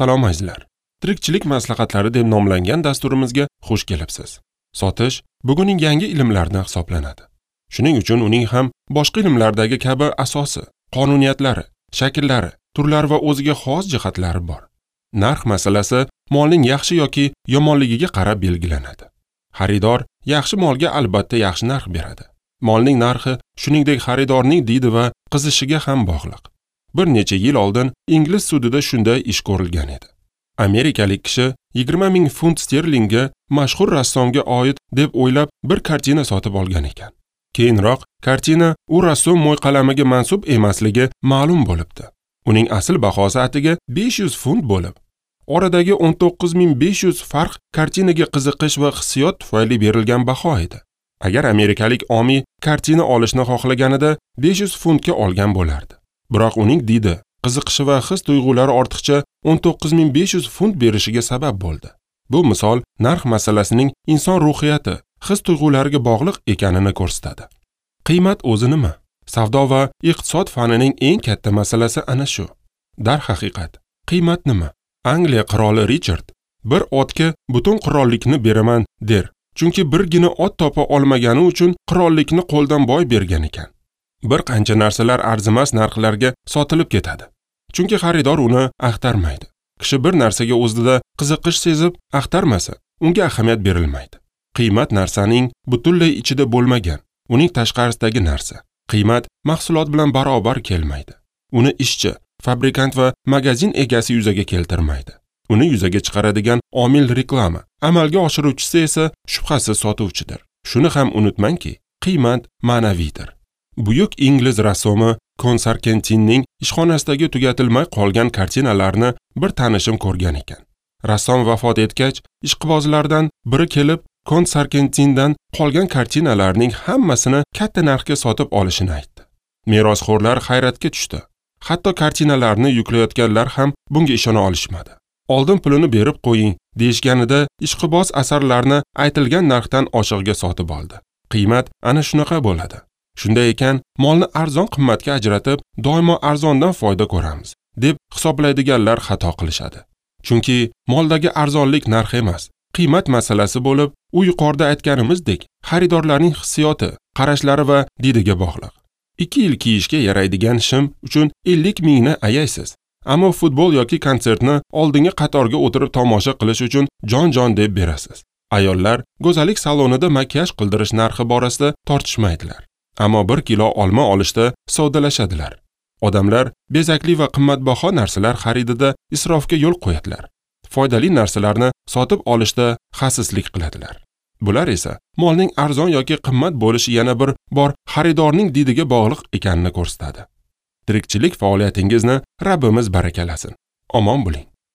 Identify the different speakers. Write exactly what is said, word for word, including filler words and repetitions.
Speaker 1: Salom azizlar. Tirikchilik maslahatlari deb nomlangan dasturimizga xush kelibsiz. Sotish bugunning yangi ilmlaridan hisoblanadi. Shuning uchun uning ham boshqa ilmlardagi kabi asosi, qonuniyatlari, shakllari, turlari va o'ziga xos jihatlari bor. Narx masalasi molning yaxshi yoki yomonligiga qarab belgilanadi. Xaridor yaxshi molga albatta yaxshi narx beradi. Molning narxi shuningdek xaridorning didi va qizishiga ham bog'liq. Bir necha yil oldin ingliz sudida shunday ish ko'rilgan edi. Amerikalik kishi yigirma ming funt sterlingga mashhur rassomga oid deb o'ylab bir kartina sotib olgan ekan. Keyinroq kartina u rassom mo'yqalamiga mansub emasligi ma'lum bo'libdi. Uning asl bahosi atiga besh yuz funt bo'lib, oradagi o'n to'qqiz ming besh yuz farq kartinaga qiziqish va hissiyot tufayli berilgan baho edi. Agar amerikalik omiy kartina olishni xohlaganida besh yuz funtga olgan bo'lardi. Biroq uning didi, qiziqishi va his tuyg'ulari ortiqcha o'n to'qqiz ming besh yuz funt berishiga sabab bo'ldi. Bu misol narx masalasining inson ruhiyati, his tuyg'ulariga bog'liq ekanini ko'rsatadi. Qiymat o'zi nima? Savdo va iqtisod fanining eng katta masalasi ana shu. Darhaqiqat, qiymat nima? Angliya qiroli Richard bir otga butun qirollikni beraman der. Chunki birgina ot topa olmagani uchun qirollikni qo'ldan boy bergan ekan. Bir qancha narsalar arzimas narxlarga sotilib ketadi. Chunki xaridor uni axtarmaydi. Kishi bir narsaga o'zida qiziqish sezib axtarmasa, unga ahamiyat berilmaydi. Qiymat narsaning butunlay ichida bo'lmagan, uning tashqarisidagi narsa. Qiymat mahsulot bilan barobar kelmaydi. Uni ishchi, fabrikant va magazin egasi yuzaga keltirmaydi. Uni yuzaga chiqaradigan omil reklama, amalga oshiruvchisi esa shubhasiz sotuvchidir. Shuni ham unutmangki, qiymat ma'naviydir. Buyuk ingliz rassomi Konsarkentinning ishxonasidagi tugatilmay qolgan kartinalarni bir tanishim ko'rgan ekan. Rassom vafot etgach, ishqibozlardan biri kelib Konsarkentindan qolgan kartinalarning hammasini katta narxga sotib olishini aytdi. Merosxo'rlar hayratga tushdi. Hatto kartinalarni yuklayotganlar ham bunga ishona olishmadi. Oldin pulini berib qo'ying deyishganida ishqiboz asarlarni aytilgan narxdan oshig'iga sotib oldi. Qiymat ana shunaqa bo'ladi. Shunday ekan, molni arzon qimmatga ajratib, doimo arzondan foyda ko'ramiz deb hisoblaydiganlar xato qilishadi. Chunki moldagi arzonlik narx emas, qiymat masalasi bo'lib, u yuqorida aytganimizdek, xaridorlarning hissiyoti, qarashlari va didiga bog'liq. Ikki yil kiyishga yaraydigan shim uchun ellik mingni ayaysiz. Ammo futbol yoki konsertni oldingi qatorga o'tirib tomosha qilish uchun jon-jon deb berasiz. Ayollar go'zallik salonida makiyaj qildirish narxi borasida tortishmaydilar. Ammo bir kilo olma olishda savdolashadilar. Odamlar bezakli va qimmatbaho narsalar xaridida isrofga yo'l qo'yadilar. Foydali narsalarni sotib olishda xasislik qiladilar. Bular esa molning arzon yoki qimmat bo'lishi yana bir bor xaridorning didiga bog'liq ekanini ko'rsatadi. Tirikchilik faoliyatingizni Rabbimiz barakalasin. Omon bo'ling.